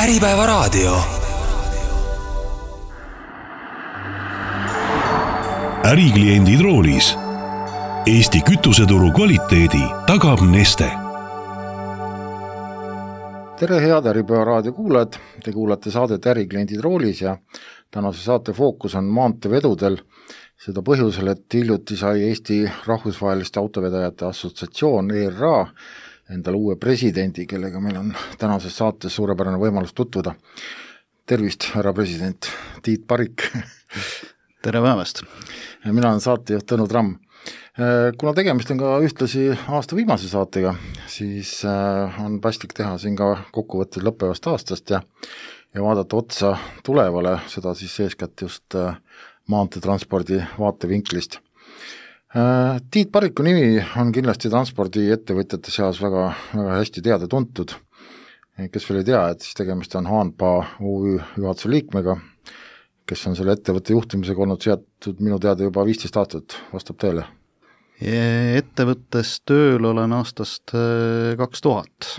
Äripäevaraadio. Ärikliendid roolis. Eesti kütuseturu kvaliteedi tagab Neste. Tere head Äripäevaraadio kuulajad, te kuulate saadet Ärikliendid roolis ja tänase saate fookus on maanteevedudel. Seda põhjusel, et hiljuti sai Eesti Rahvusvaheliste Autovedajate Assotsiatsioon ERA endale uue presidendi, kellega meil on tänases saates suurepärane võimalus tutvuda. Tervist, härra president Tiit Parik. Tere päevast. Mina olen saatejuht Tõnu Tramm. Kuna tegemist on ka ühtlasi aasta viimase saatega, siis on paslik teha siin ka kokkuvõtted lõppevast aastast ja vaadata otsa tulevale, seda siis eeskätt just maanteetranspordi vaatevinklist. Tiit Pariku nimi on kindlasti transpordiettevõtjate seas väga hästi teada tuntud. Kes veel ei tea, et siis tegemist on HANPA OÜ juhatuse liikmega, kes on selle ettevõtte juhtimisega olnud seatud minu teada juba 15 aastat, vastab teile? Ettevõttes tööl olen aastast 2000.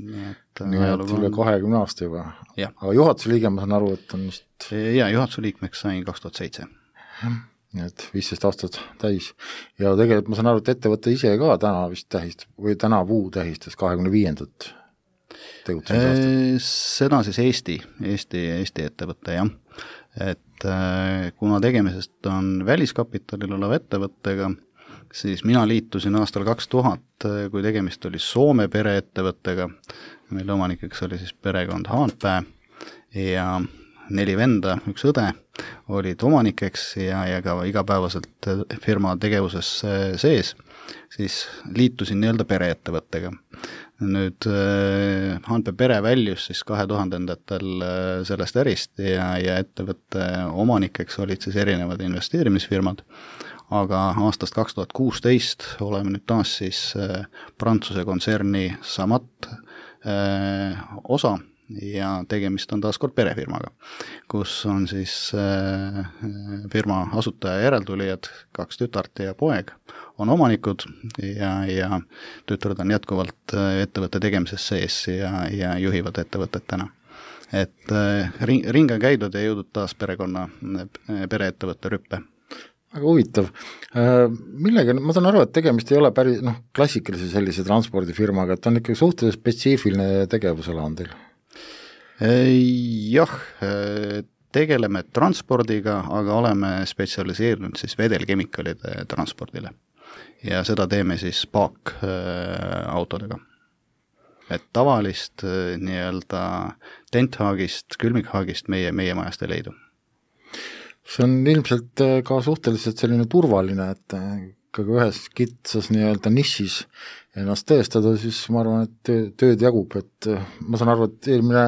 Nii et üle 20 aasta juba. Ja. Aga juhatuse liige ma saan aru, et on vist... Ja, juhatuse liikmeks sain 2007. Nii et 15 aastat täis. Ja tegelikult ma saan aru, et ettevõte ise ka täna vist tähistab, või tänavuu tähistas 25. tegutsemise aastat. Seda siis Eesti ettevõte, jah. Et kuna tegemisest on väliskapitalil olev ettevõttega, siis mina liitusin aastal 2000, kui tegemist oli Soome pereettevõttega. Meil omanikeks oli siis perekond Haanpää ja 4 venda, 1 õde olid omanikeks ja ka igapäevaselt firma tegevuses sees, siis liitusin nii-öelda pereettevõttega. Nüüd Haanpää pere väljus siis 2000-ndatel sellest ärist ja ettevõtte omanikeks olid siis erinevad investeerimisfirmad, aga aastast 2016 oleme nüüd taas siis Prantsuse kontserni Samat osa ja tegemist on taas kord perefirmaga, kus on siis firma asutaja järeltulijad, 2 tütart ja poeg on omanikud ja tütard on jätkuvalt ettevõtte tegemises sees ja juhivad ettevõtet täna. Et ring on käidud ja jõudnud taas pereettevõtte rüppe. Väga huvitav. Millega, ma saan aru, et tegemist ei ole päris klassikalise sellise transpordifirmaga, et on ikkagi suhteliselt spetsiifiline tegevusala on teil? Jah, tegeleme transpordiga, aga oleme spetsialiseerunud siis vedelkemikalide transpordile ja seda teeme siis paaakautodega. Et tavalist nii-öelda tenthaagist, külmikhaagist meie majast ei leidu. See on ilmselt ka suhteliselt selline turvaline, et ikkagi ühes kitsas nii-öelda nišis ennast tõestada, siis ma arvan, et tööd jagub, et ma saan aru, et eelmine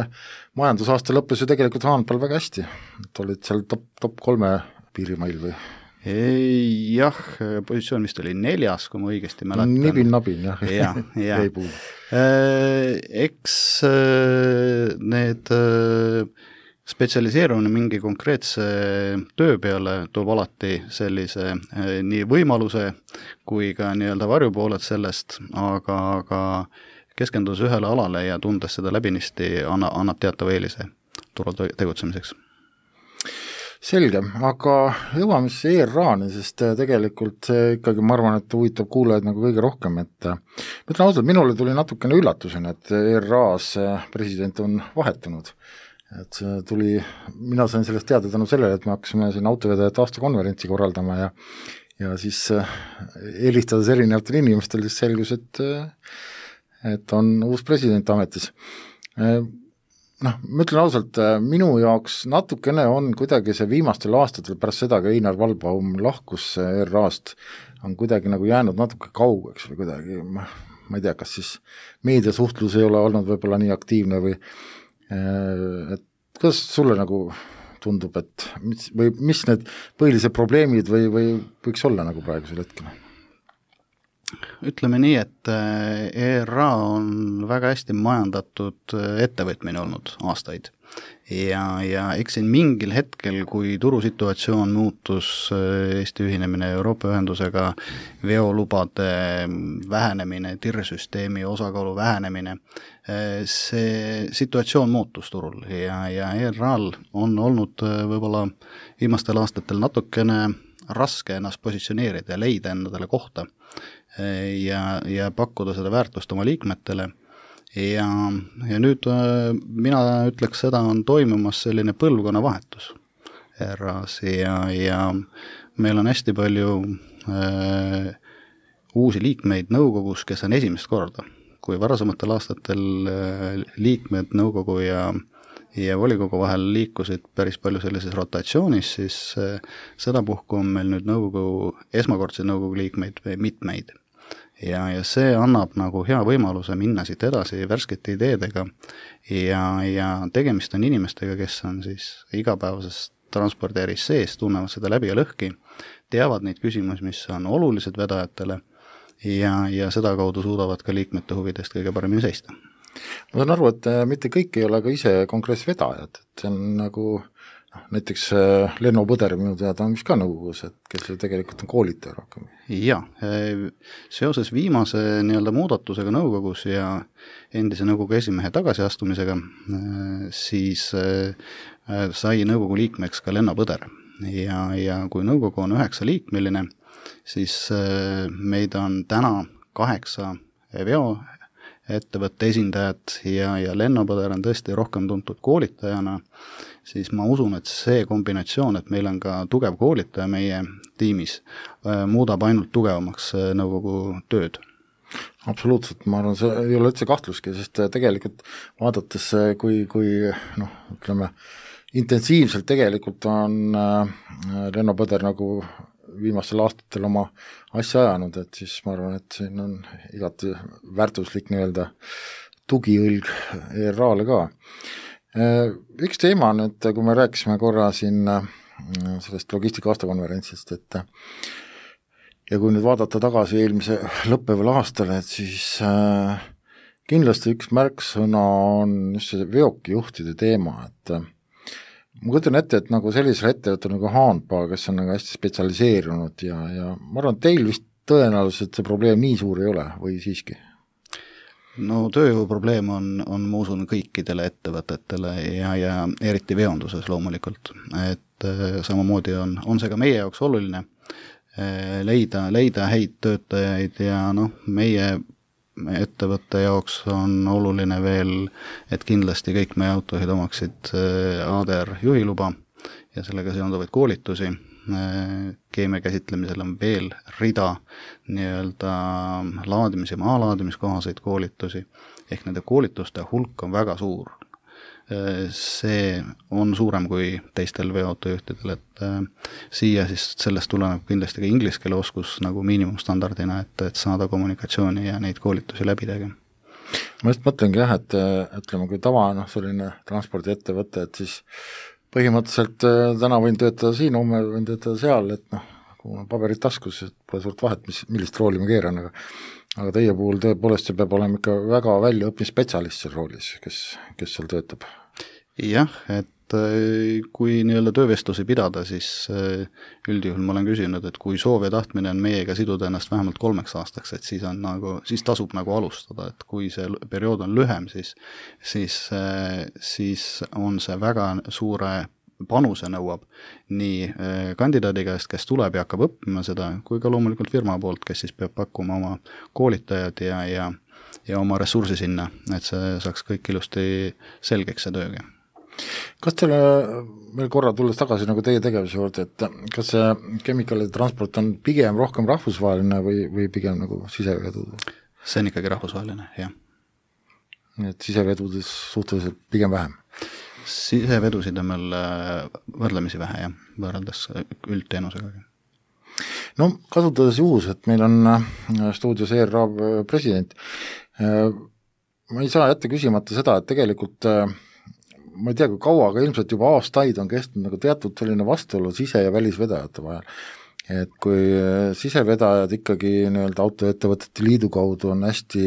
majandusaasta lõppes ju tegelikult Haanpääl väga hästi, et olid seal top 3 piirimail või? Jah, positsioon vist oli 4, kui ma õigesti mäletan. Nibin-nabin, jah. Ja. Eks need spetsialiseerumine mingi konkreetse töö peale toob alati sellise nii võimaluse kui ka nii-öelda varjupooled sellest, aga keskendus ühele alale ja tundes seda läbinisti annab teatava eelise turul tegutsemiseks. Selge, aga jõuame siis ERA-ni, sest tegelikult see ikkagi, ma arvan, et huvitab kuulajaid nagu kõige rohkem, et ma ütlen ausalt, minule tuli natukene üllatusena, et ERA-s president on vahetunud. Et see tuli, mina sain sellest teada tänu sellele, et me hakkasime siin autovedajate aastakonverentsi korraldama ja siis helistades erinevatel inimestel siis selgus, et on uus president ametis. Ma ütlen ausalt, minu jaoks natukene on kuidagi see viimastel aastatel pärast seda, kui Einar Vallbaum lahkus ERA-st, on kuidagi nagu jäänud natuke kaugeks või kuidagi, ma ei tea, kas siis meediasuhtlus ei ole olnud võib-olla nii aktiivne või et kuidas sulle nagu tundub, et mis need põhilised probleemid või võiks olla nagu praegusel hetkel? Ütleme nii, et ERA on väga hästi majandatud ettevõtmine olnud aastaid ja eks siin mingil hetkel, kui turusituatsioon muutus, Eesti ühinemine Euroopa Ühendusega, veolubade vähenemine, TIR-süsteemi osakaalu vähenemine, see situatsioon muutus turul ja ERA-l on olnud võib-olla viimastel aastatel natukene raske ennast positsioneerida ja leida endale kohta ja pakkuda seda väärtust oma liikmetele ja nüüd mina ütleks, seda on toimumas selline põlvkonnavahetus ERA-s ja meil on hästi palju uusi liikmeid nõukogus, kes on esimest korda, kui varasematel aastatel liikmed nõukogu ja volikogu vahel liikusid päris palju sellises rotatsioonis, siis sedapuhku on meil nüüd esmakordseid nõukogu liikmeid mitmeid. Ja see annab nagu hea võimaluse minna siit edasi värskete ideedega ja tegemist on inimestega, kes on siis igapäevases transpordiäris sees, tunnevad seda läbi ja lõhki, teavad neid küsimusi, mis on olulised vedajatele ja seda kaudu suudavad ka liikmete huvidest kõige paremini seista. Ma saan aru, et mitte kõik ei ole ka ise konkreetses vedajad, et see on nagu näiteks Lenno Põder minu teada on vist ka nõukogus, et kes tegelikult on koolitaja rohkem. Jaa, seoses viimase muudatusega nõukogus ja endise nõukogu esimehe tagasiastumisega, siis sai nõukogu liikmeks ka Lenno Põder ja kui nõukogu on 9-liikmeline, siis meid on täna 8 veoettevõtte esindajad ja Lenno Põder on tõesti rohkem tuntud koolitajana, siis ma usun, et see kombinatsioon, et meil on ka tugev koolitaja meie tiimis, muudab ainult tugevamaks nõukogu tööd. Absoluutselt, ma arvan, see ei ole üldse kahtluski, sest tegelikult vaadates, kui ütleme, intensiivselt tegelikult on Lenno Põder nagu viimastel aastatel oma asja ajanud, et siis ma arvan, et siin on igati väärtuslik tugiõlg ERA-le ka. Üks teema nüüd, kui me rääkisime korra siin sellest logistika aastakonverentsist, et ja kui nüüd vaadata tagasi eelmise lõppeval aastale, et siis kindlasti üks märksõna on just see veokijuhtide teema, et ma kujutan ette, et nagu sellisel ettevõttel nagu Haanpaa, kes on nagu hästi spetsialiseerunud ja ma arvan, et teil vist tõenäoliselt see probleem nii suur ei ole või siiski? No tööjõuprobleem on ma usun kõikidele ettevõtetele ja eriti veonduses loomulikult, et samamoodi on see ka meie jaoks oluline leida häid töötajaid ja meie ettevõtte jaoks on oluline veel, et kindlasti kõik meie autojuhid omaksid ADR juhiluba ja sellega seonduvaid koolitusi. Keemia käsitlemisel on veel rida laadimis- ja maalaadimiskohaseid koolitusi, ehk nende koolituste hulk on väga suur. See on suurem kui teistel veoautojuhtidel, et siia siis sellest tuleneb kindlasti ka inglise keele oskus nagu miinimumstandardina, et saada kommunikatsiooni ja neid koolitusi läbi tegema. Ma just mõtlengi jah, et ütleme, kui tava selline transpordiettevõte, et siis põhimõtteliselt täna võin töötada siin, homme võin töötada seal, et kui on paberid taskus, et pole suurt vahet, millist rooli ma keeran, aga teie puhul tõepoolest see peab olema ikka väga väljaõppinud spetsialist seal roolis, kes seal töötab. Jah, et kui töövestlusi pidada, siis üldjuhul ma olen küsinud, et kui soov ja tahtmine on meiega siduda ennast vähemalt 3 aastaks, et siis tasub alustada, et kui see periood on lühem, siis on see väga suure panuse nõuab nii kandidaadi käest, kes tuleb ja hakkab õppima seda, kui ka loomulikult firma poolt, kes siis peab pakkuma oma koolitajad ja oma ressursi sinna, et see saaks kõik ilusti selgeks see tööga. Kas teile veel korra tulles tagasi teie tegevuse juurde, et kas see kemikaalide transport on pigem rohkem rahvusvaheline või pigem sisevedudes? See on ikkagi rahvusvaheline, jah. Et sisevedudes suhteliselt pigem vähem? Sisevedusid on meil võrdlemisi vähe, jah, võrreldes üldteenusega. No kasutades juhus, et meil on stuudios ERA president, ma ei saa jätta küsimata seda, et tegelikult ma ei tea, kui kaua, aga ilmselt juba aastaid on kestnud teatud selline vastuolu sise- ja välisvedajate vahel. et kui sisevedajad ikkagi nii-öelda autoettevõtete liidu kaudu on hästi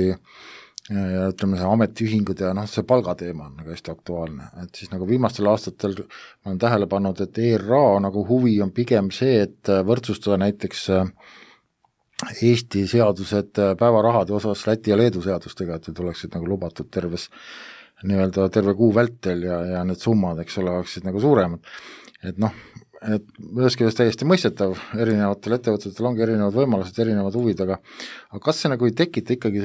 ja ütleme, see ametiühingud ja see palgateema on nagu hästi aktuaalne, et siis nagu viimastel aastatel ma olen tähele pannud, et ERA nagu huvi on pigem see, et võrdsustada näiteks Eesti seadused päevarahade osas Läti ja Leedu seadustega, et need oleksid nagu lubatud terve kuu vältel ja need summad, eks ole, oleksid nagu suuremad. Et et ühest küljest täiesti mõistetav, erinevatel ettevõtetel ongi erinevad võimalused, erinevad huvid, aga kas see nagu ei tekita ikkagi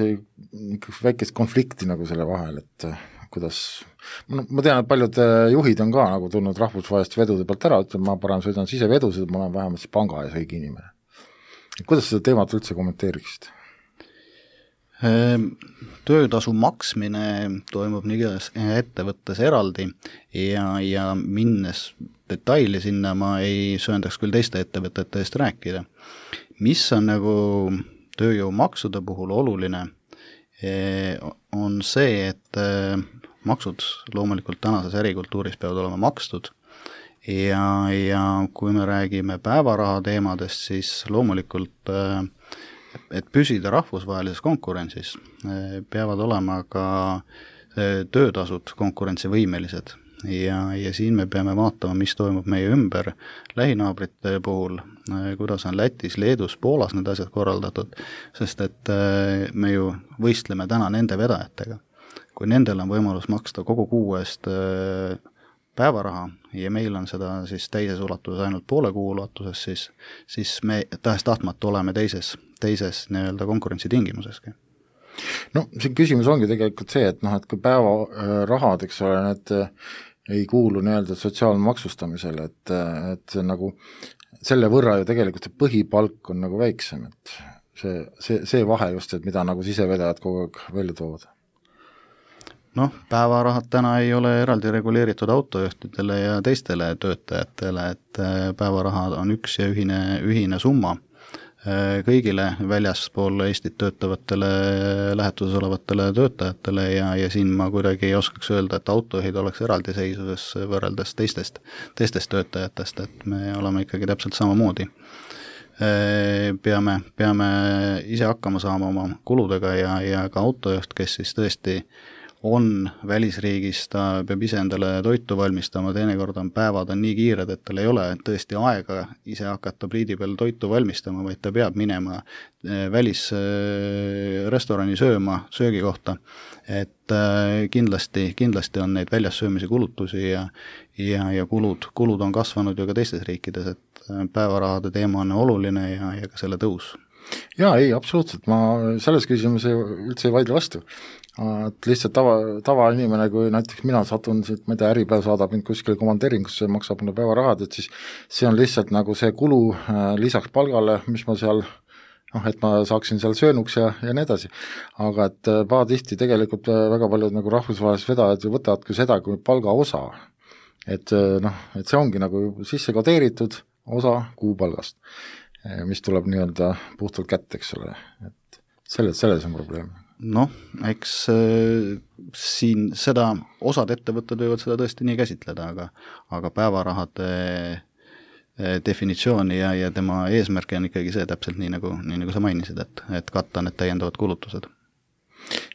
väikest konflikti nagu selle vahel, et kuidas, ma tean, et paljud juhid on ka nagu tulnud rahvusvaheliste vedude pealt ära, ütleb, ma parem sõidan sisevedusid, ma olen vähemalt panga ees õige inimene. Kuidas seda teemat üldse kommenteeriksid? Töötasu maksmine toimub niigas ettevõttes eraldi ja minnes detaili sinna ma ei sööndaks küll teiste ettevõtete eest rääkida. Mis on nagu tööjõumaksude puhul oluline, on see, et maksud loomulikult tänases ärikultuuris peavad olema makstud ja kui me räägime päevaraha teemadest, siis loomulikult et püsida rahvusvahelises konkurentsis, peavad olema ka töötasud konkurentsivõimelised ja siin me peame vaatama, mis toimub meie ümber lähinaabrite puhul, kuidas on Lätis, Leedus, Poolas need asjad korraldatud, sest et me ju võistleme täna nende vedajatega. Kui nendel on võimalus maksta kogu kuu eest päevaraha ja meil on seda siis teises ulatuses ainult poole kuu ulatuses, siis me tahes tahtmata oleme teises nii-öelda konkurentsi tingimuseski. See küsimus ongi tegelikult see, et et kui päevarahad, eks ole, need ei kuulu nii-öelda sotsiaalmaksustamisele, et nagu selle võrra ju tegelikult see põhipalk on nagu väiksem, et see vahe just, et mida nagu sisevedajad kogu aeg välja toovad. Päevarahad täna ei ole eraldi reguleeritud autojuhtidele ja teistele töötajatele, et päevarahad on üks ja ühine summa kõigile väljaspool Eestit töötavatele lähetuses olevatele töötajatele ja siin ma kuidagi ei oskaks öelda, et autojuhid oleks eraldiseisuses võrreldes teistest töötajatest, et me oleme ikkagi täpselt samamoodi. Peame ise hakkama saama oma kuludega ja ka autojuht, kes siis tõesti on välisriigis, ta peab ise endale toitu valmistama, teinekord on päevad on nii kiired, et tal ei ole tõesti aega ise hakata pliidi peal toitu valmistama, vaid ta peab minema välisrestorani sööma söögikohta, et kindlasti on neid väljas söömise kulutusi ja kulud on kasvanud ju ka teistes riikides, et päevarahade teema on oluline ja ka selle tõus. Jaa, ei, absoluutselt, ma selles küsimuse üldse ei vaidle vastu. Et lihtsalt tava inimene, kui näiteks mina satun siit, ma ei tea, Äripäev saadab mind kuskile komandeeringusse, maksab mulle päevarahad, et siis see on lihtsalt nagu see kulu lisaks palgale, mis ma seal, et ma saaksin seal söönuks ja nii edasi. Aga et pahatihti tegelikult väga paljud nagu rahvusvahelised vedajad võtavad ka seda kui palgaosa. Et see ongi nagu sisse kodeeritud osa kuupalgast, mis tuleb nii-öelda puhtalt kätte, eks ole. Et selles on probleem. Eks siin seda osad ettevõtted võivad seda tõesti nii käsitleda, aga päevarahade definitsiooni ja tema eesmärk on ikkagi see täpselt nii nagu sa mainisid, et katta need täiendavad kulutused.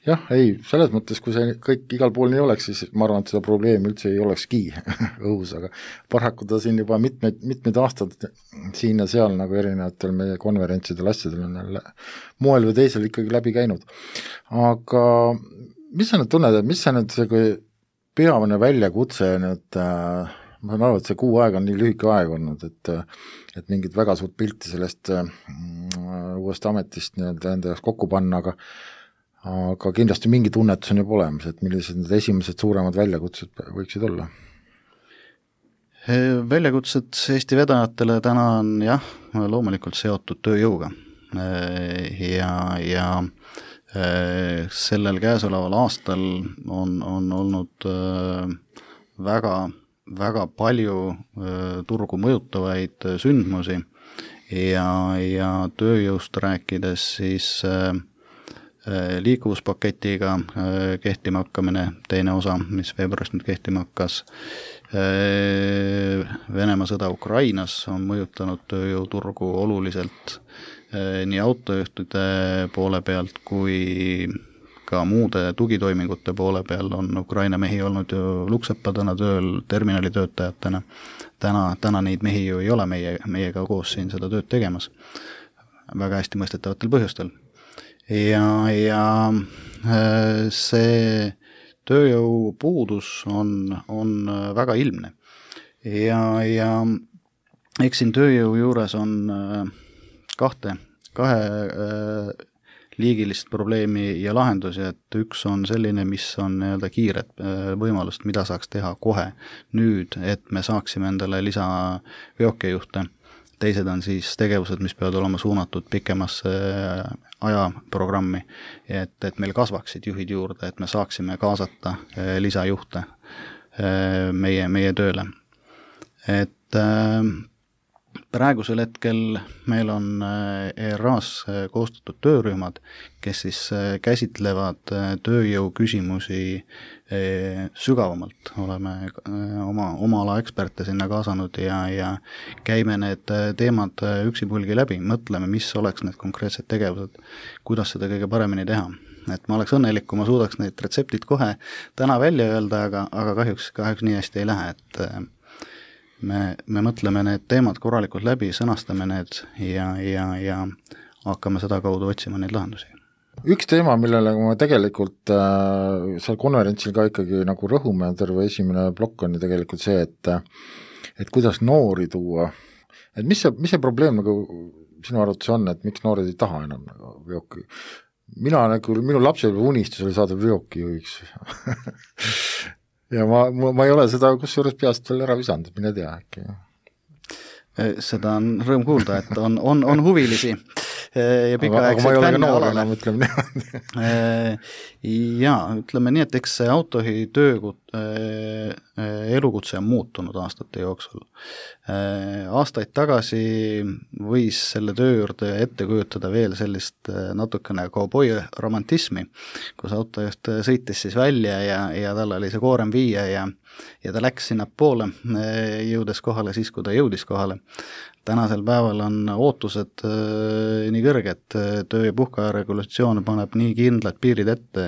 Jah, ei, selles mõttes, kui see kõik igal pool nii oleks, siis ma arvan, et seda probleemi üldse ei olekski õhus, aga paraku ta siin juba mitmed aastad siin ja seal nagu erinevatel meie konverentsidel asjadel on jälle moel või teisel ikkagi läbi käinud. Aga mis sa nüüd tunned, et mis sa nüüd see peamine väljakutse nüüd, ma saan aru, et see kuu aega on nii lühike aeg olnud, et mingit väga suurt pilti sellest uuest ametist enda jaoks kokku panna, aga kindlasti mingi tunnetus on juba olemas, et millised need esimesed suuremad väljakutsed võiksid olla? Väljakutsed Eesti vedajatele täna on loomulikult seotud tööjõuga ja sellel käesoleval aastal on olnud väga, väga palju turgu mõjutavaid sündmusi ja tööjõust rääkides siis liikuvuspaketiga kehtima hakkamine, teine osa, mis veebruarist nüüd kehtima hakkas. Venemaa sõda Ukrainas on mõjutanud tööjõuturgu oluliselt nii autojuhtide poole pealt kui ka muude tugitoimingute poole peal on Ukraina mehi olnud ju luksepadena tööl terminalitöötajatena. Täna neid mehi ju ei ole meiega koos siin seda tööd tegemas. Väga hästi mõistetavatel põhjustel. Ja see tööjõupuudus on väga ilmne. Ja eks siin tööjõu juures on kahe liigilist probleemi ja lahendusi, et üks on selline, mis on nii-öelda kiired võimalust, mida saaks teha kohe nüüd, et me saaksime endale lisaveokejuhte. Teised on siis tegevused, mis peavad olema suunatud pikemasse ajaprogrammi, et meil kasvaksid juhid juurde, et me saaksime kaasata lisajuhte meie tööle. Et praegusel hetkel meil on ERA-s koostatud töörühmad, kes siis käsitlevad tööjõu küsimusi sügavamalt. Oleme oma ala eksperte sinna kaasanud ja käime need teemad üksipulgi läbi, mõtleme, mis oleks need konkreetsed tegevused, kuidas seda kõige paremini teha. Et ma oleks õnnelik, kui ma suudaks need retseptid kohe täna välja öelda, aga kahjuks nii hästi ei lähe, et me mõtleme need teemad korralikult läbi, sõnastame need ja hakkame seda kaudu otsima neid lahendusi. Üks teema, millele ma tegelikult seal konverentsil ka ikkagi nagu rõhume, terve esimene plokk on tegelikult see, et kuidas noori tuua. Et mis see probleem nagu sinu arvates on, et miks noored ei taha enam nagu veoki? Minu lapsepõlve unistus oli saada veokijuhiks. Ja ma ei ole seda kusjuures peast veel ära visanud, mine tea äkki. Seda on rõõm kuulda, et on huvilisi ja pikaaegselt fänne alale. Ja ütleme nii, et eks see autojuhi elukutse on muutunud aastate jooksul. Aastaid tagasi võis selle töö juurde ette kujutada veel sellist natukene kauboi romantismi, kus autojuht sõitis siis välja ja tal oli see koorem viia ja ta läks sinna poole, jõudes kohale siis, kui ta jõudis kohale. Tänasel päeval on ootused nii kõrged, töö- ja puhkeaja regulatsioon paneb nii kindlad piirid ette,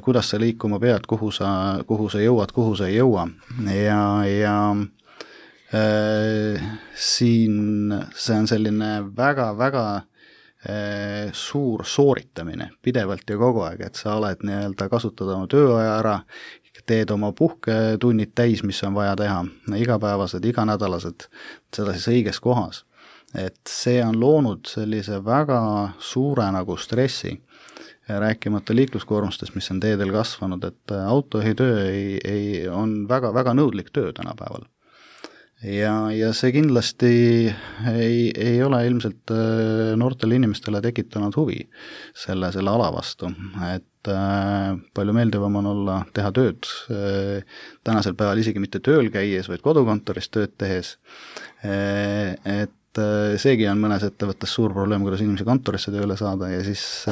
kuidas sa liikuma pead, kuhu sa jõuad, kuhu sa ei jõua. Ja siin see on selline väga-väga suur sooritamine pidevalt ja kogu aeg, et sa oled nii-öelda kasutada oma tööaja ära, teed oma puhketunnid täis, mis on vaja teha, igapäevased, iganädalased, seda siis õiges kohas. Et see on loonud sellise väga suure nagu stressi, rääkimata liikluskoormustest, mis on teedel kasvanud, et autojuhi töö on väga-väga nõudlik töö tänapäeval. Ja see kindlasti ei ole ilmselt noortele inimestele tekitanud huvi selle ala vastu, et palju meeldivam on teha tööd tänasel päeval isegi mitte tööl käies, vaid kodukontoris tööd tehes, et seegi on mõnes ettevõttes suur probleem, kuidas inimesi kontorisse tööle saada ja siis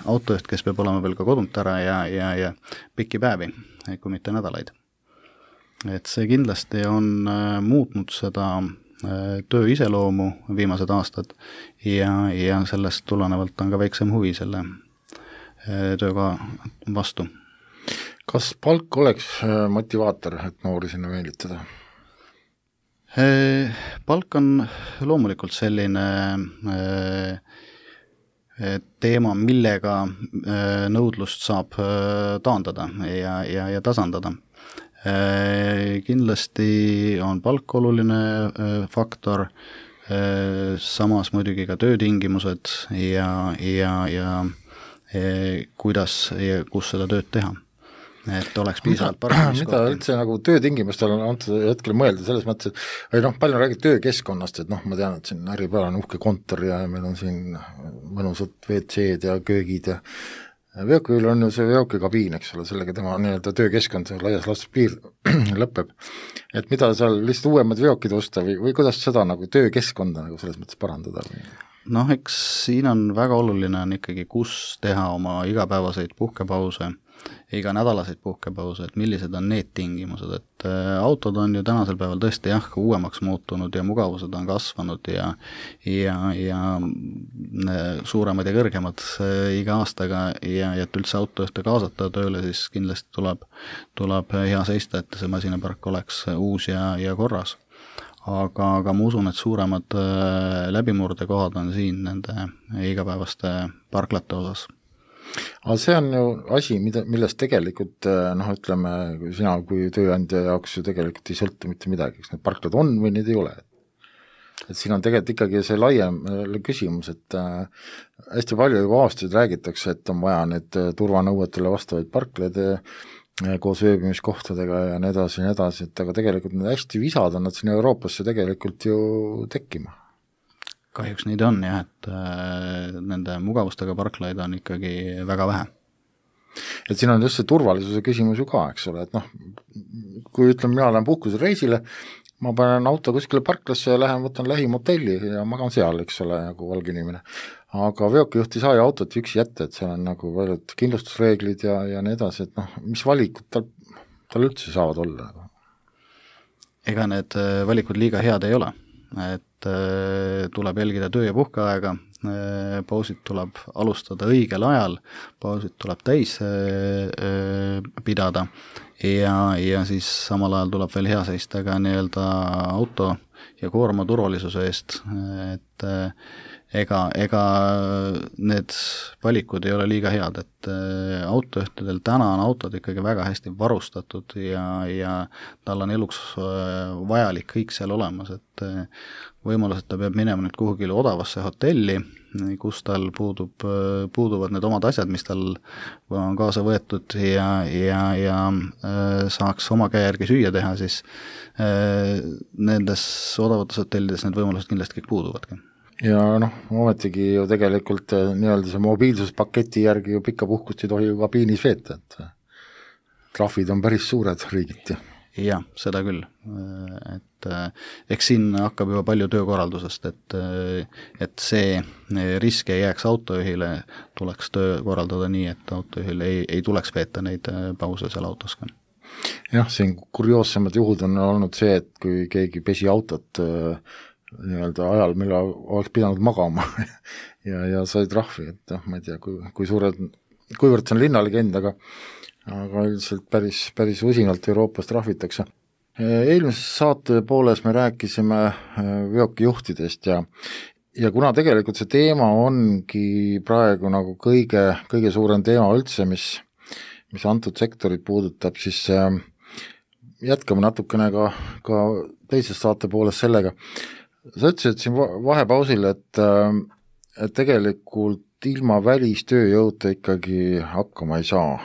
autojuht, kes peab olema veel ka kodunt ära ja pikki päevi, kui mitte nädalaid. Et see kindlasti on muutnud seda töö iseloomu viimased aastad ja sellest tulenevalt on ka väiksem huvi selle tööga vastu. Kas palk oleks motivaator, et noori sinna meelitada? Palk on loomulikult selline teema, millega nõudlust saab taandada ja tasandada. Kindlasti on palk oluline faktor, samas muidugi ka töötingimused ja kuidas ja kus seda tööd teha, et oleks piisavalt paremini. Mida üldse nagu töötingimustel on antud hetkel mõelda selles mõttes, et palju räägid töökeskkonnast, et ma tean, et siin Äripäeval on uhke kontor ja meil on siin mõnusad WC-d ja köögid ja veokil on ju see veokikabiin, eks ole, sellega tema nii-öelda töökeskkond laias laastus piir lõpeb. Et mida seal lihtsalt uuemad veokid osta või kuidas seda nagu töökeskkonda nagu selles mõttes parandada? Noh, eks siin on väga oluline on ikkagi, kus teha oma igapäevaseid puhkepause, iganädalaseid puhkepause, et millised on need tingimused, et autod on ju tänasel päeval tõesti uuemaks muutunud ja mugavused on kasvanud ja suuremad ja kõrgemad iga aastaga ja et üldse autojuhte kaasata tööle, siis kindlasti tuleb hea seista, et see masinapark oleks uus ja korras. Aga ma usun, et suuremad läbimurdekohad on siin nende igapäevaste parklate osas. Aga see on ju asi, millest tegelikult, ütleme, sina kui tööandja jaoks ju tegelikult ei sõltu mitte midagi, kas need parklad on või need ei ole. Et siin on tegelikult ikkagi see laiem küsimus, et hästi palju juba aastaid räägitakse, et on vaja need turvanõuetele vastavaid parklaid koos ööbimiskohtadega ja nii edasi, et aga tegelikult need hästi visad on nad siin Euroopasse tegelikult ju tekkima. Kahjuks neid on jah, et nende mugavustega parklaid on ikkagi väga vähe. Et siin on just see turvalisuse küsimus ju ka, eks ole, et kui ütleme, mina lähen puhkusreisile, ma panen auto kuskile parklasse ja lähen, võtan lähim hotelli ja magan seal, eks ole, nagu valge inimene. Aga veokijuht ei saa ju autot üksi jätta, et seal on nagu paljud kindlustusreeglid ja nii edasi, et mis valikud tal üldse saavad olla? Ega need valikud liiga head ei ole, et tuleb jälgida töö- ja puhkeaega, pausid tuleb alustada õigel ajal, pausid tuleb täis pidada ja siis samal ajal tuleb veel hea seista ka nii-öelda auto ja koorma turvalisuse eest, et ega need valikud ei ole liiga head, et autojuhtidel täna on autod ikkagi väga hästi varustatud ja tal on eluks vajalik kõik seal olemas, et võimalus, et ta peab minema nüüd kuhugile odavasse hotelli, kus tal puuduvad need omad asjad, mis tal on kaasa võetud ja saaks oma käe järgi süüa teha, siis nendes odavates hotellides need võimalused kindlasti kõik puuduvadki. Ja ometigi ju tegelikult nii-öelda see mobiilsuspaketi järgi ju pikka puhkust ei tohi ju kabiinis veeta, et trahvid on päris suured riigiti. Jah, seda küll, et eks siin hakkab juba palju töökorraldusest, et see risk ei jääks autojuhile, tuleks töö korraldada nii, et autojuhil ei tuleks veeta neid pause seal autos ka. Jah, siin kurioossemad juhud on olnud see, et kui keegi pesi autot nii-öelda ajal, millal oleks pidanud magama ja sai trahvi, et ma ei tea, kuivõrd see on linnalegend, aga üldiselt päris usinalt Euroopas trahvitakse. Eelmises saate pooles me rääkisime veokijuhtidest ja kuna tegelikult see teema ongi praegu nagu kõige suurem teema üldse, mis antud sektorit puudutab, siis jätkame natukene ka teises saate pooles sellega. Sa ütlesid siin vahepausil, et tegelikult ilma välistööjõuta ikkagi hakkama ei saa.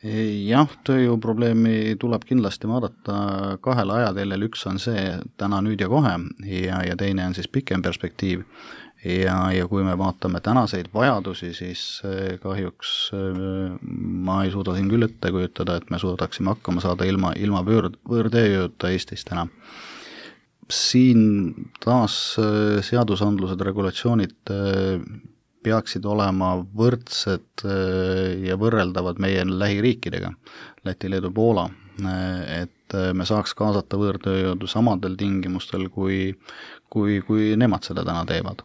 Jah, tööjõuprobleemi tuleb kindlasti vaadata kahel ajateljel, üks on see täna, nüüd ja kohe ja teine on siis pikem perspektiiv ja kui me vaatame tänaseid vajadusi, siis kahjuks ma ei suuda siin küll ette kujutada, et me suudaksime hakkama saada ilma võõrtööjõuta Eestis täna. Siin taas seadusandlused, regulatsioonid peaksid olema võrdsed ja võrreldavad meie lähiriikidega, Läti, Leedu, Poola, et me saaks kaasata võõrtööjõudu samadel tingimustel, kui nemad seda täna teevad.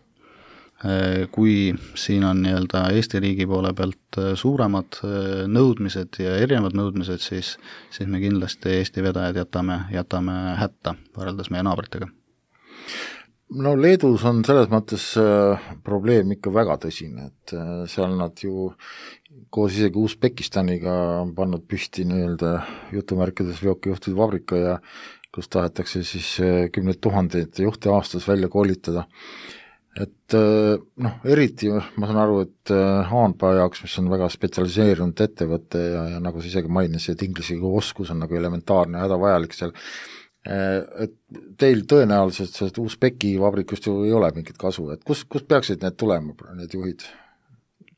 Kui siin on nii-öelda Eesti riigi poole pealt suuremad nõudmised ja erinevad nõudmised, siis me kindlasti Eesti vedajad jätame hätta võrreldes meie naabritega. Leedus on selles mõttes probleem ikka väga tõsine, et seal nad ju koos isegi Usbekistaniga on pannud püsti nii-öelda jutumärkides veokijuhtide vabrika ja kus tahetakse siis 10 000 juhte aastas välja koolitada. Et eriti ma saan aru, et Haanpaa jaoks, mis on väga spetsialiseerunud ettevõte ja nagu sa isegi mainis, et inglise oskus on nagu elementaarne ja hädavajalik seal, et teil tõenäoliselt sellest Usbeki vabrikust ju ei ole mingit kasu, et kus peaksid need tulema, need juhid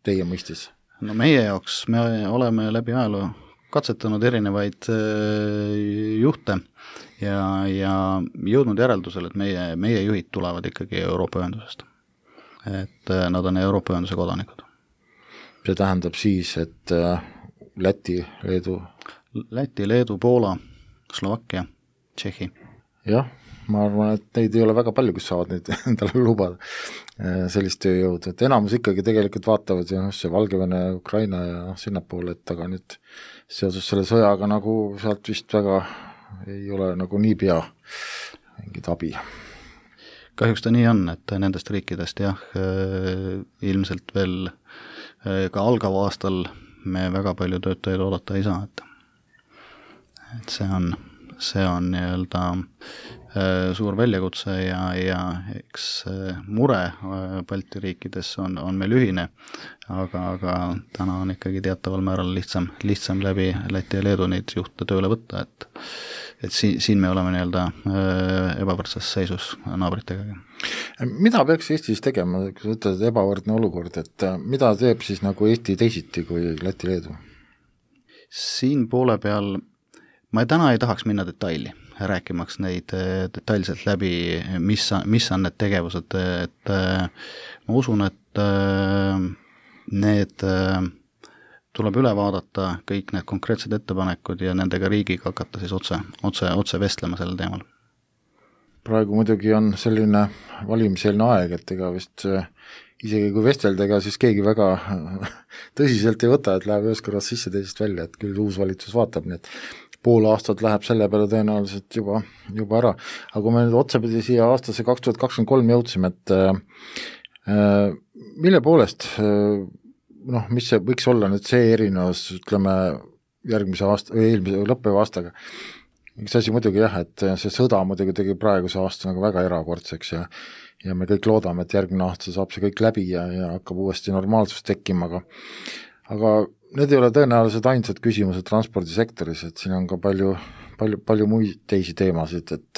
teie mõistis? Meie jaoks me oleme läbi ajaloo katsetanud erinevaid juhte ja jõudnud järeldusel, et meie juhid tulevad ikkagi Euroopa ühendusest. et nad on Euroopa Ühenduse kodanikud. See tähendab siis, et Läti, Leedu, Poola, Slovakkia, Tšehhi. Jah, ma arvan, et neid ei ole väga palju, kes saavad neid endale lubada sellist tööjõudu, et enamus ikkagi tegelikult vaatavad ja see Valgevene, Ukraina ja sinnapoole, et aga nüüd seoses selle sõjaga nagu sealt vist väga ei ole nagu niipea mingit abi. Kahjuks ta nii on, et nendest riikidest jah, ilmselt veel ka algava aastal me väga palju töötajaid oodata ei saa, et see on nii-öelda suur väljakutse ja eks mure Balti riikides on meil ühine, aga täna on ikkagi teataval määral lihtsam läbi Läti ja Leedu neid juhte tööle võtta, et siin me oleme nii-öelda ebavõrdses seisus naabritega. Mida peaks Eestis tegema, kui sa ütled ebavõrdne olukord, et mida teeb siis nagu Eesti teisiti kui Läti Leedu? Siin poole peal ma täna ei tahaks minna detaili, rääkimaks neid detailselt läbi, mis on need tegevused, et ma usun, et need tuleb üle vaadata kõik need konkreetsed ettepanekud ja nendega riigiga hakata siis otse vestlema sellel teemal. Praegu muidugi on selline valimiseelne aeg, et ega vist isegi kui vestelda, ega siis keegi väga tõsiselt ei võta, et läheb ühes kõrvas sisse teisest välja, et küll uus valitsus vaatab, nii et pool aastat läheb selle peale tõenäoliselt juba ära. Aga kui me nüüd otsapidi siia aastasse 2023 jõudsime, et mille poolest, mis see võiks olla nüüd see erinevus, ütleme, järgmise aasta või eelmise lõppeva aastaga? Üks asi muidugi jah, et see sõda muidugi tegi praeguse aasta nagu väga erakordseks ja me kõik loodame, et järgmine aasta saab see kõik läbi ja hakkab uuesti normaalsus tekkima, aga need ei ole tõenäoliselt ainsad küsimused transpordisektoris, et siin on ka palju muid teisi teemasid, et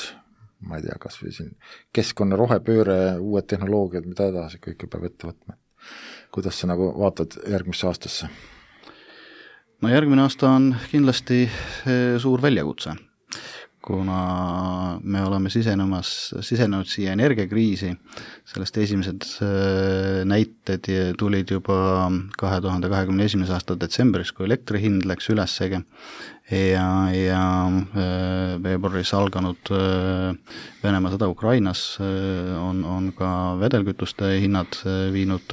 ma ei tea, kas või siin keskkonna rohepööre, uued tehnoloogiad, mida edasi kõike peab ette võtma. Kuidas sa nagu vaatad järgmisse aastasse? No järgmine aasta on kindlasti suur väljakutse, kuna me oleme sisenenud siia energiakriisi, sellest esimesed näited tulid juba 2021. aasta detsembris, kui elektri hind läks ülessegi ja veebruaris alganud Venemaa sõda Ukrainas on ka vedelkütuste hinnad viinud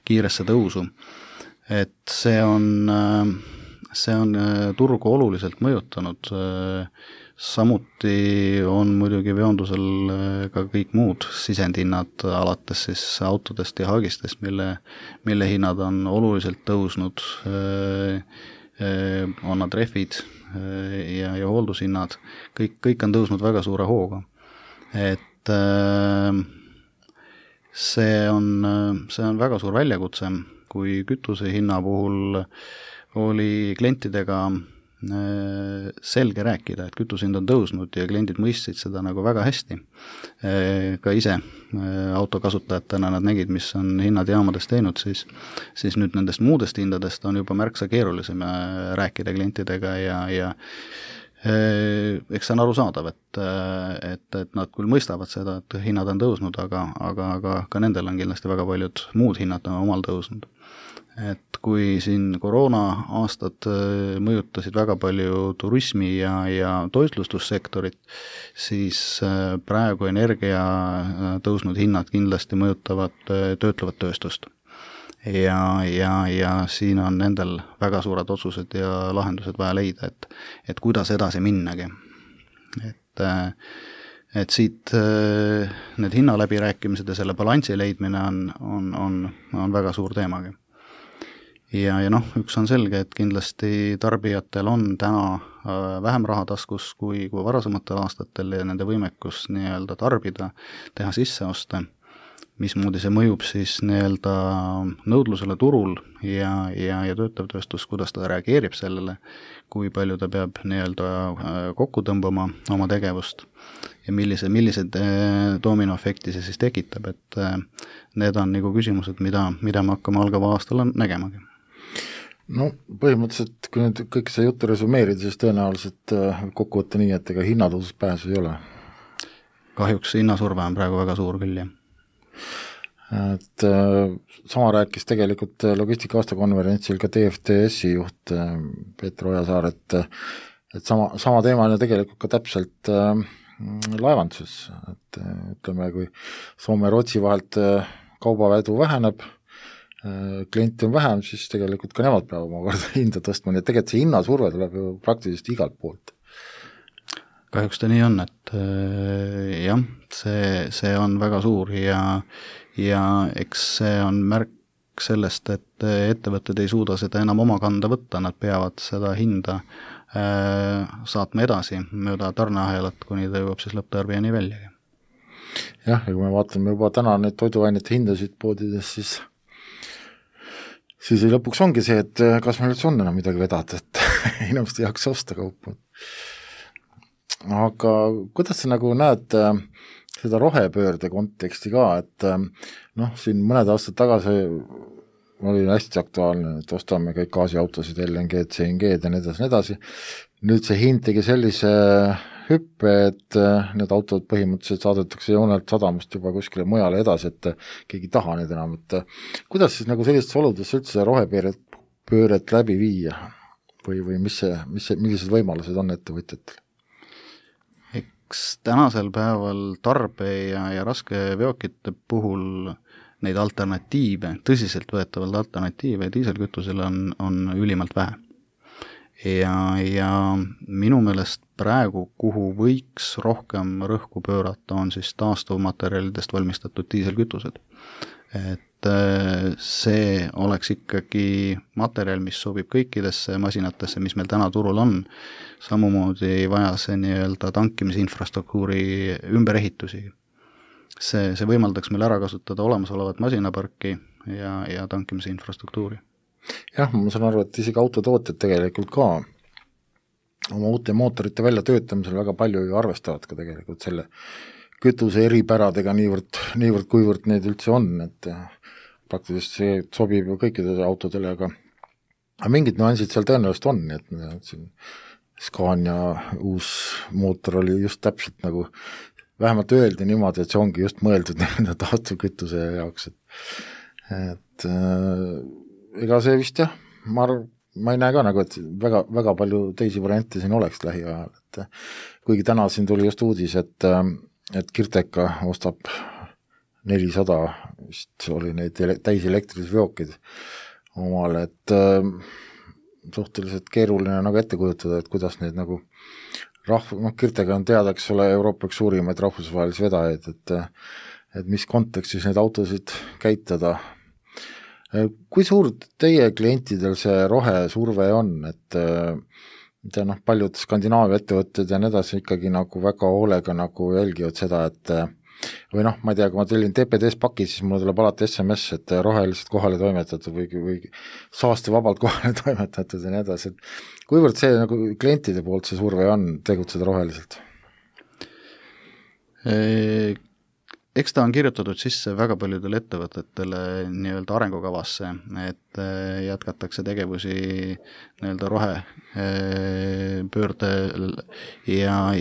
kiiresse tõusu. Et see on turgu oluliselt mõjutanud, samuti on muidugi veondusel ka kõik muud sisendhinnad alates siis autodest ja haagistest, mille hinnad on oluliselt tõusnud, on nad rehvid ja hooldushinnad, kõik on tõusnud väga suure hooga. Et see on väga suur väljakutse, kui kütuse hinna puhul oli klientidega selge rääkida, et kütusehind on tõusnud ja kliendid mõistsid seda nagu väga hästi. Ka ise autokasutajatena nad nägid, mis on hinnad jaamades teinud, siis nüüd nendest muudest hindadest on juba märksa keerulisem rääkida klientidega ja eks see on arusaadav, et nad küll mõistavad seda, et hinnad on tõusnud, aga ka nendel on kindlasti väga paljud muud hinnad omal tõusnud. Et kui siin koroona aastad mõjutasid väga palju turismi ja toitlustussektorit, siis praegu energia tõusnud hinnad kindlasti mõjutavad töötlevat tööstust. Ja siin on nendel väga suured otsused ja lahendused vaja leida, et kuidas edasi minnagi. Et siit need hinnaläbirääkimised ja selle balansi leidmine on väga suur teemagi. Ja üks on selge, et kindlasti tarbijatel on täna vähem raha taskus kui varasematel aastatel ja nende võimekus nii-öelda tarbida, teha sisseoste, mismoodi see mõjub siis nii-öelda nõudlusele turul ja töötav tööstus, kuidas ta reageerib sellele, kui palju ta peab nii-öelda kokku tõmbama oma tegevust ja millised dominoefekti see siis tekitab, et need on nagu küsimused, mida me hakkame algava aastal nägemagi. No põhimõtteliselt, kui nüüd kõik see juttu resumeerida, siis tõenäoliselt kokku võtta nii, et ega hinnatõusust pääsu ei ole. Kahjuks hinnasurve on praegu väga suur küll, jah. et sama rääkis tegelikult logistika aastakonverentsil ka DFDS-i juht Peeter Ojasaar, et sama teema on ju tegelikult ka täpselt laevanduses, et ütleme, kui Soome ja Rootsi vahelt kaubavedu väheneb, klienti on vähem, siis tegelikult ka nemad peavad omakorda hinda tõstma, nii et tegelikult see hinnasurve tuleb ju praktiliselt igalt poolt. Kahjuks ta nii on, et jah, see on väga suur ja eks see on märk sellest, et ettevõtted ei suuda seda enam oma kanda võtta, nad peavad seda hinda saatma edasi mööda tarneahelat, kuni ta jõuab siis lõpptarbijani väljagi. Jah, ja kui me vaatame juba täna neid toiduainete hindasid poodides, siis lõpuks ongi see, et kas meil üldse on enam midagi vedada, et inimesed ei jaksa osta kaupa. Aga kuidas sa nagu näed seda rohepöörde konteksti ka, et siin mõned aastad tagasi oli hästi aktuaalne, et ostame kõik gaasiautosid, LNG-d, CNG-d ja nii edasi. Nüüd see hind tegi sellise hüppe, et need autod põhimõtteliselt saadetakse joonelt sadamast juba kuskile mujale edasi, et keegi ei taha neid enam, et kuidas siis nagu sellistes oludes üldse rohepööret läbi viia või millised võimalused on ettevõtjatel? Eks tänasel päeval tarbe ja raske veokite puhul neid alternatiive, tõsiselt võetavalt alternatiive diiselkütusele on ülimalt vähe. Ja minu meelest praegu, kuhu võiks rohkem rõhku pöörata, on siis taastuvmaterjalidest valmistatud diiselkütused. Et see oleks ikkagi materjal, mis sobib kõikidesse masinatesse, mis meil täna turul on, samamoodi ei vaja see nii-öelda tankimise infrastruktuuri ümberehitusi. See võimaldaks meil ära kasutada olemasolevat masinaparki ja tankimise infrastruktuuri. Jah, ma saan aru, et isegi autotootjad tegelikult ka oma uute mootorite väljatöötamisel väga palju ju arvestavad ka tegelikult selle kütuse eripäradega niivõrd kuivõrd neid üldse on, et praktiliselt see sobib ju kõikidele autodele, aga mingid nüansid seal tõenäoliselt on, et siin Scania uus mootor oli just täpselt nagu vähemalt öeldi niimoodi, et see ongi just mõeldud taastuvkütuse jaoks, et ega see vist jah, ma ei näe ka nagu, et väga, väga palju teisi variante siin oleks lähiajal, et kuigi täna siin tuli just uudis, et Kirteka ostab 400, vist oli neid täiselektrilised veokid omale, et suhteliselt keeruline nagu ette kujutada, et kuidas neid nagu Kirtega on teada, eks ole, Euroopa üks suurimaid rahvusvahelisi vedajaid, et mis kontekstis neid autosid käitada. Kui suur teie klientidel see rohesurve on, et paljud Skandinaavia ettevõtted ja nii edasi ikkagi nagu väga hoolega nagu jälgivad seda, et või ma ei tea, kui ma tellin TPD-s paki, siis mulle tuleb alati SMS, et roheliselt kohale toimetatud või saastevabalt kohale toimetatud ja nii edasi, et kuivõrd see nagu klientide poolt see surve on tegutseda roheliselt? Eks ta on kirjutatud sisse väga paljudele ettevõtetele nii-öelda arengukavasse, et jätkatakse tegevusi nii-öelda rohepöörde ja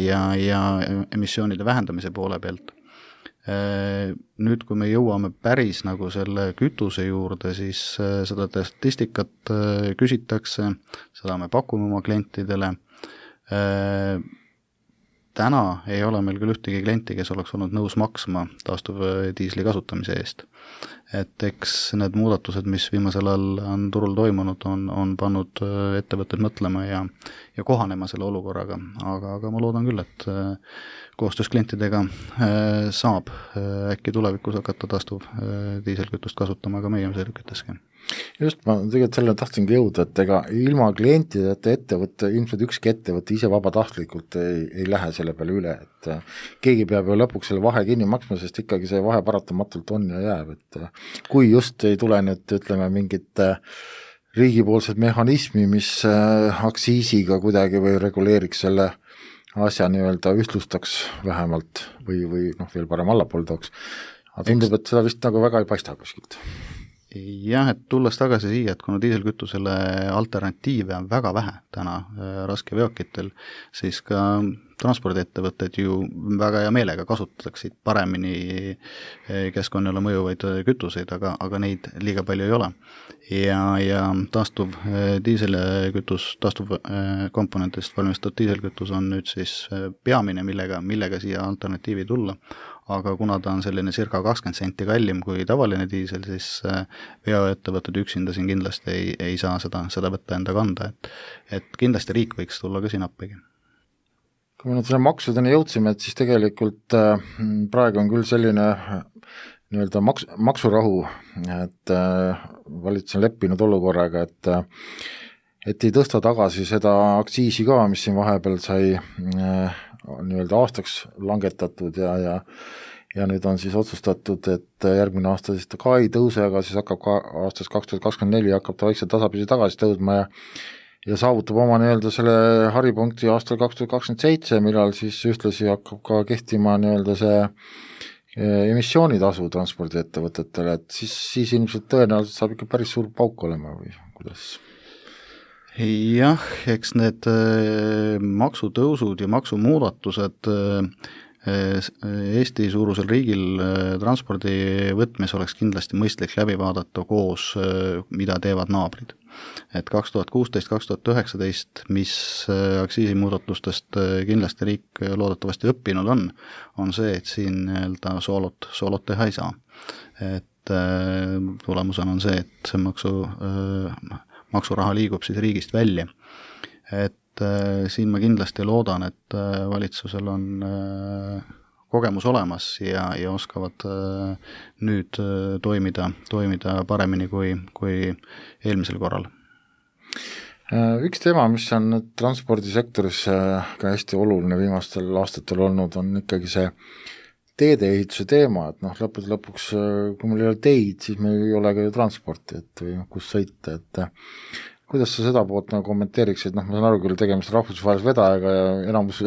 emissioonide vähendamise poole pealt. Nüüd, kui me jõuame päris nagu selle kütuse juurde, siis seda statistikat küsitakse, seda me pakume oma klientidele. Täna ei ole meil küll ühtegi klienti, kes oleks olnud nõus maksma taastuvdiisli kasutamise eest. Et eks need muudatused, mis viimasel ajal on turul toimunud, on pannud ettevõtted mõtlema ja kohanema selle olukorraga, aga ma loodan küll, et koostöös klientidega saab äkki tulevikus hakata taastuvdiiselkütust kasutama ka meie sõidukites. Just, ma tegelikult selle tahtsingi jõuda, et ega ilma klientideta ettevõtte, ilmselt ükski ettevõtte ise vabatahtlikult ei lähe selle peale üle, et keegi peab ju lõpuks selle vahe kinni maksma, sest ikkagi see vahe paratamatult on ja jääb, et kui just ei tule nüüd, ütleme, mingit riigipoolsed mehhanismi, mis aktsiisiga kuidagi või reguleeriks selle asja nii-öelda ühtlustaks vähemalt või veel parem allapool tooks. Aga tundub, et seda vist nagu väga ei paista kuskilt. Jah, et tulles tagasi siia, et kuna diiselkütusele alternatiive on väga vähe täna raskeveokitel, siis ka transpordiettevõtted ju väga hea meelega kasutaksid paremini keskkonnale mõjuvaid kütuseid, aga neid liiga palju ei ole. Ja taastuv diiselkütus, taastuv komponentidest valmistatud diiselkütus on nüüd siis peamine, millega siia alternatiivi tulla. Aga kuna ta on selline circa 20 senti kallim kui tavaline diisel, siis veoettevõtted üksinda siin kindlasti ei saa seda võtta enda kanda, et kindlasti riik võiks tulla ka siin appigi. Kui me nüüd selle maksudeni jõudsime, et siis tegelikult praegu on küll selline nii-öelda maksurahu, et valitsus on leppinud olukorraga, et ei tõsta tagasi seda aktsiisi ka, mis siin vahepeal sai nii-öelda aastaks langetatud ja nüüd on siis otsustatud, et järgmine aasta siis ta ka ei tõuse, aga siis hakkab ka aastast 2024 hakkab ta vaikselt tasapisi tagasi tõudma ja saavutab oma nii-öelda selle haripunkti aastal 2027, millal siis ühtlasi hakkab ka kehtima nii-öelda see emissioonitasu transpordiettevõtetele, et siis ilmselt tõenäoliselt saab ikka päris suur pauk olema või kuidas? Jah, eks need maksutõusud ja maksumuudatused Eesti suurusel riigil transpordi võtmes oleks kindlasti mõistlik läbi vaadata koos, mida teevad naabrid. Et 2016-2019, mis aktsiisimuudatustest kindlasti riik loodetavasti õppinud on see, et siin nii-öelda soolot teha ei saa. Et tulemusena on see, et see maksuraha liigub siis riigist välja. Et siin ma kindlasti loodan, et valitsusel on kogemus olemas ja oskavad nüüd toimida paremini kui eelmisel korral. Üks teema, mis on transpordisektoris ka hästi oluline viimastel aastatel olnud, on ikkagi see teedeehituse teema, et lõpuks, kui meil ei ole teid, siis meil ei ole ka ju transporti, et või kus sõita, et kuidas sa seda poolt kommenteeriks, et ma saan aru küll tegemist rahvusvahelise vedajaga ja enamus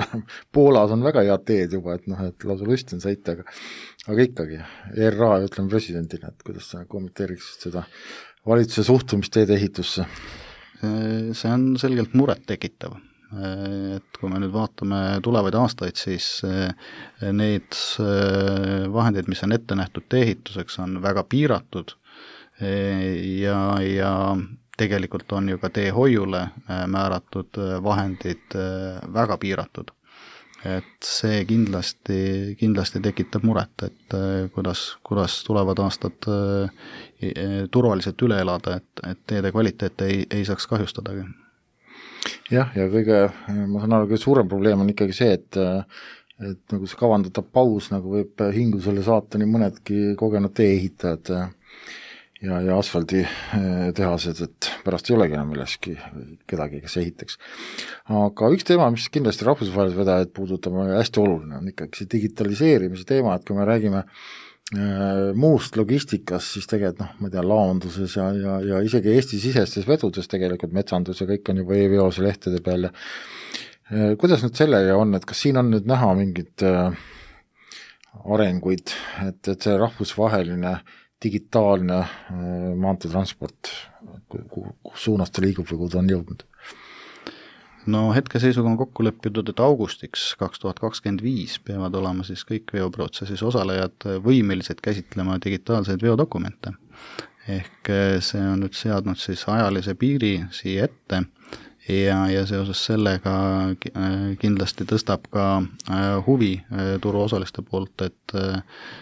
Poolas on väga head teed juba, et lausa lust on sõita, aga ikkagi ERA ütleme presidendina, et kuidas sa kommenteeriksid seda valitsuse suhtumist teedeehitusse? See on selgelt muret tekitav. Et kui me nüüd vaatame tulevaid aastaid, siis need vahendid, mis on ette nähtud tee-ehituseks, on väga piiratud ja tegelikult on ju ka teehoiule määratud vahendid väga piiratud. Et see kindlasti tekitab muret, et kuidas tulevad aastad turvaliselt üle elada, et teede kvaliteet ei saaks kahjustadagi. Jah, ja ma saan aru, kõige suurem probleem on ikkagi see, et nagu see kavandatav paus võib hingusele saata nii mõnedki kogenud tee-ehitajad ja asfalditehased, et pärast ei olegi enam milleski kedagi, kes ehitaks. Aga üks teema, mis kindlasti rahvusvahelise vedajaid puudutab, on hästi oluline, on ikkagi see digitaliseerimise teema, et kui me räägime muust logistikas, siis tegelikult ma tean laonduses ja isegi Eesti-sisestes vedudes tegelikult metsandus ja kõik on juba e-veose lehtede peal. Kuidas nüüd sellega on, et kas siin on nüüd näha mingid arenguid, et see rahvusvaheline digitaalne maanteetransport, kus suunas ta liigub või kuhu ta on jõudnud? No hetkeseisuga on kokku leppinud, et augustiks 2025 peavad olema siis kõik veoprotsessis osalejad võimelised käsitlema digitaalseid veodokumente. Ehk see on nüüd seadnud siis ajalise piiri siia ette ja seoses sellega kindlasti tõstab ka huvi turuosaliste poolt, et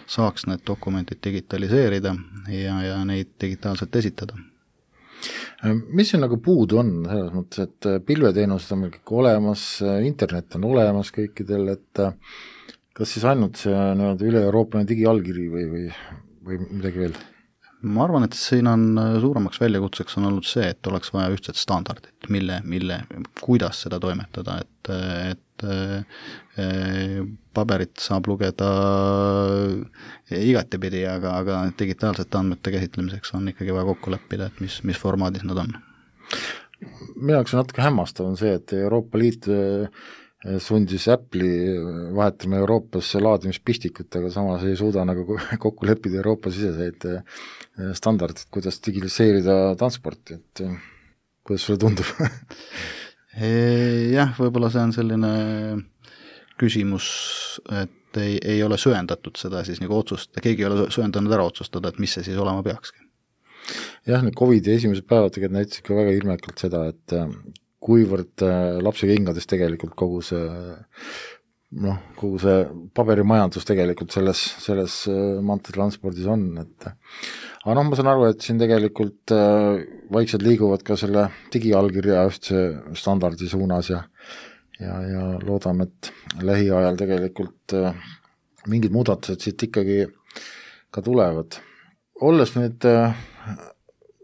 saaks need dokumendid digitaliseerida ja neid digitaalselt esitada. Mis siin puudu on selles mõttes, et pilveteenused on meil kõik olemas, internet on olemas kõikidel, et kas siis ainult see üle-Euroopaline digiallkiri või midagi veel? Ma arvan, et siin on suuremaks väljakutseks on olnud see, et oleks vaja ühtset standardit, kuidas seda toimetada, et paberit saab lugeda igatepidi, aga digitaalsete andmete käsitlemiseks on ikkagi vaja kokku leppida, et mis formaadis nad on. Minu jaoks on natuke hämmastav on see, et Euroopa Liit sundis Apple'i vahetama Euroopas laadimispistikut, aga samas ei suuda nagu kokku leppida Euroopa siseseid standardid, kuidas digitaliseerida transporti, et kuidas sulle tundub? Jah, võib-olla see on selline küsimus, et ei ole söendatud seda siis nagu otsust, keegi ei ole söendanud ära otsustada, et mis see siis olema peakski. Jah, need COVID-i esimesed päevad tegelikult näitasid ka väga ilmekalt seda, et kuivõrd lapse kingades tegelikult kogu see paberimajandus tegelikult selles maanteetranspordis on, et aga ma saan aru, et siin tegelikult vaikselt liiguvad ka selle digiallkirja ühtse standardi suunas ja loodame, et lähiajal tegelikult mingid muudatused siit ikkagi ka tulevad. Olles nüüd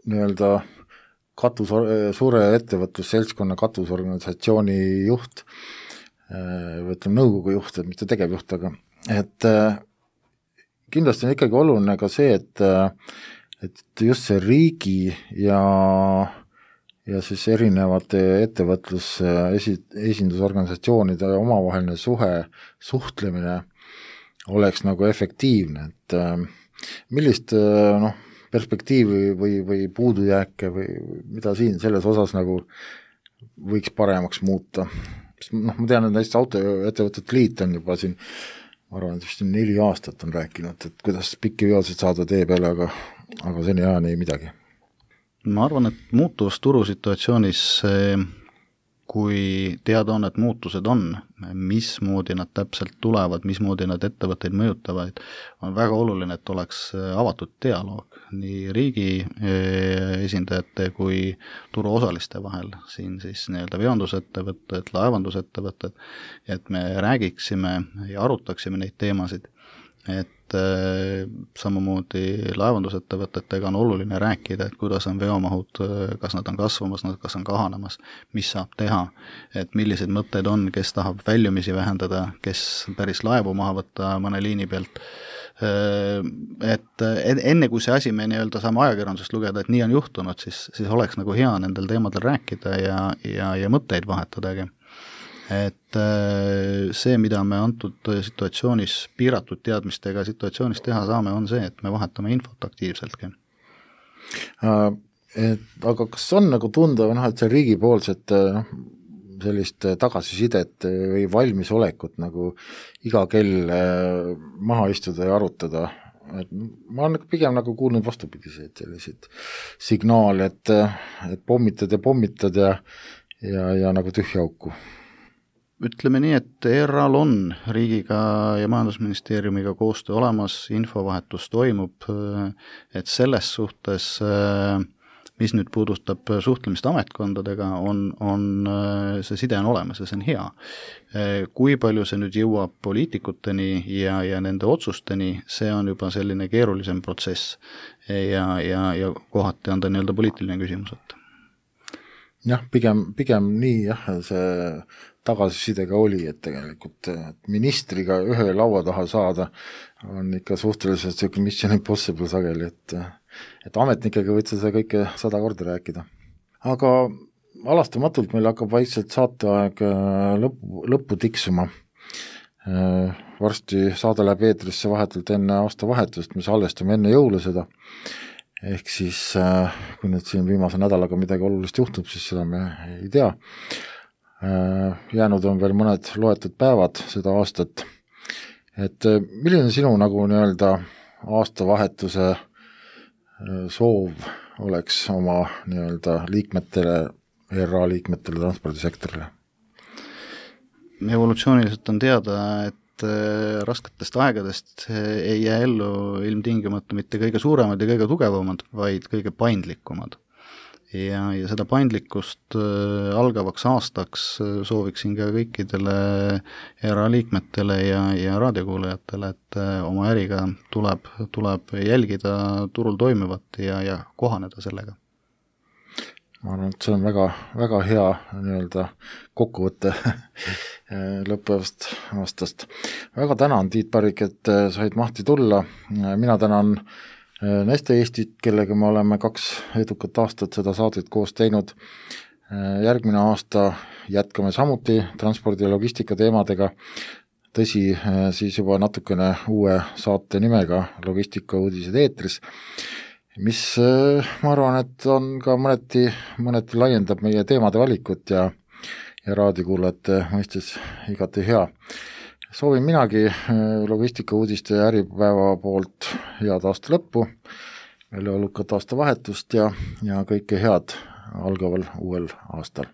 nii-öelda suure ettevõtlusseltskonna katusorganisatsiooni juht, või ütleme nõukogu juht, mitte tegevjuht, aga et kindlasti on ikkagi oluline ka see, et just see riigi ja siis erinevate esindusorganisatsioonide omavaheline suhtlemine oleks nagu efektiivne, et millist perspektiivi või puudujääke või mida siin selles osas nagu võiks paremaks muuta. Ma tean, et näiteks autoettevõtete liit on juba siin, ma arvan, et vist 4 aastat on rääkinud, et kuidas pikki veoseid saada tee peale, aga seni ajani ei midagi. Ma arvan, et muutuvas turusituatsioonis, kui teada on, et muutused on, mismoodi nad täpselt tulevad, mismoodi nad ettevõtteid mõjutavad, on väga oluline, et oleks avatud dialoog nii riigi esindajate kui turuosaliste vahel, siin siis nii-öelda veondusettevõtted, laevandusettevõtted, et me räägiksime ja arutaksime neid teemasid, et samamoodi laevandusettevõtetega on oluline rääkida, et kuidas on veomahud, kas nad on kasvamas, kas on kahanemas, mis saab teha, et millised mõtted on, kes tahab väljumisi vähendada, kes päris laevu maha võtta mõne liini pealt, et enne kui see asi me nii-öelda saame ajakirjandusest lugeda, et nii on juhtunud, siis oleks nagu hea nendel teemadel rääkida ja mõtteid vahetadagi. Et see, mida me antud situatsioonis, piiratud teadmistega situatsioonis teha saame, on see, et me vahetame infot aktiivseltki. Aga kas on nagu tunda, et see riigipoolset sellist tagasisidet või valmisolekut nagu iga kell maha istuda ja arutada? Et ma olen pigem nagu kuulnud vastupidiseid selliseid signaale, et pommitad ja nagu tühja auku. Ütleme nii, et ERA-l on riigiga ja majandusministeeriumiga koostöö olemas, infovahetus toimub, et selles suhtes, mis nüüd puudustab suhtlemist ametkondadega, on see side on olemas ja see on hea. Kui palju see nüüd jõuab poliitikuteni ja nende otsusteni, see on juba selline keerulisem protsess ja kohati on ta nii-öelda poliitiline küsimus. Jah, pigem nii see tagasisidega oli, et tegelikult ministriga ühe laua taha saada on ikka suhteliselt selline mission impossible sageli, et ametnikega võid seda kõike 100 korda rääkida. Aga alastamatult meil hakkab vaikselt saateaeg lõppu tiksuma. Varsti saade läheb eetrisse vahetult enne aastavahetust, me salvestame enne jõule seda. Ehk siis, kui nüüd siin viimase nädalaga midagi olulist juhtub, siis seda me ei tea. Jäänud on veel mõned loetud päevad seda aastat. Et milline sinu nagu nii-öelda aastavahetuse soov oleks oma nii-öelda liikmetele, ERA liikmetele, transpordisektorile? Evolutsiooniliselt on teada, et rasketest aegadest ei jää ellu ilmtingimata mitte kõige suuremad ja kõige tugevamad, vaid kõige paindlikumad. Ja seda paindlikkust algavaks aastaks sooviksin ka kõikidele ERA liikmetele ja raadiokuulajatele, et oma äriga tuleb jälgida turul toimuvat ja kohaneda sellega. Ma arvan, et see on väga, väga hea nii-öelda kokkuvõtte lõppevast aastast. Väga tänan, Tiit Parik, et said mahti tulla. Mina tänan Neste Eestit, kellega me oleme 2 edukat aastat seda saadet koos teinud. Järgmine aasta jätkame samuti transpordi ja logistika teemadega, tõsi, siis juba natukene uue saate nimega Logistika uudised eetris, mis ma arvan, et on ka mõneti laiendab meie teemade valikut ja raadiokuulajate mõistes igati hea. Soovin minagi Logistika uudiste ja äripäeva poolt head aasta lõppu, veel olukat aasta vahetust ja kõike head algaval uuel aastal.